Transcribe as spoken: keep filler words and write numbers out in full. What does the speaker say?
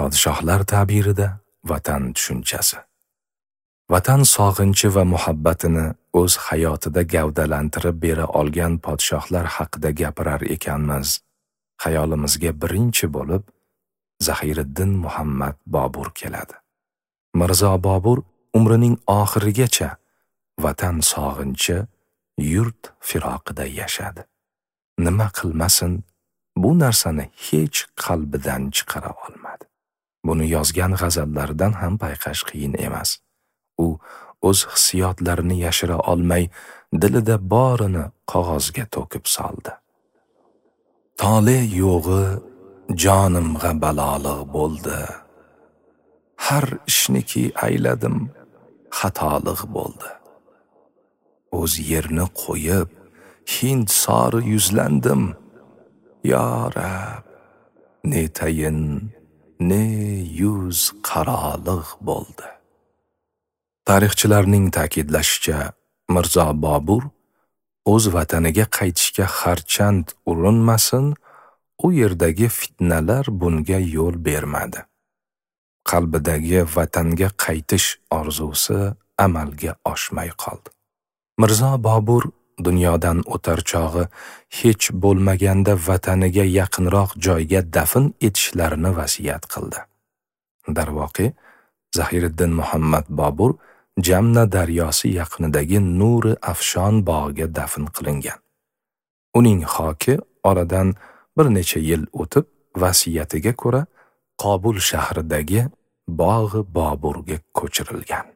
Podshohlar ta'birida vatan tushunchasi. Vatan sog'inchi va muhabbatini o'z hayotida gavdalantirib bera olgan podshohlar haqida gapirar ekanmiz, xayolimizga birinchi bo'lib Zahiriddin Muhammad Bobur keladi. Mirzo Bobur umrining oxirigacha vatan sog'inchi, yurt firoqida yashadi. Nima qilmasin, bu narsani hech qalbidan chiqara olmadi. Buni yozgan g'azallaridan ham payqash qiyin emas. U o'z hissiyotlarini yashira olmay, dilida borini qog'ozga to'kib soldi. Tole yo'g'i jonimga baloliq bo'ldi. Har ishniki ayladim, xatoliq bo'ldi. O'z yerni qo'yib, Hind sori yuzlandim. Ya Rab, ne tayin, ne yuz qaroliq bo'ldi. Tarixchilarning ta'kidlashicha, Mirzo Bobur o'z vataniga qaytishga harchand urinmasin, u yerdagi fitnalar bunga yo'l bermadi. Qalbidagi vatanga qaytish orzusi amalga oshmay qoldi. Mirzo Bobur dunyodan o'tar chog'i hech bo'lmaganda vataniga yaqinroq joyga dafn etishlarini vasiyat qildi. Darvoqe, Zahiriddin Muhammad Bobur Jamna daryosi yaqinidagi Nuri Afshon bog'iga dafn qilingan. Uning xoki oradan bir necha yil o'tib vasiyatiga ko'ra Qobul shahridagi Bog'i Boburga ko'chirilgan.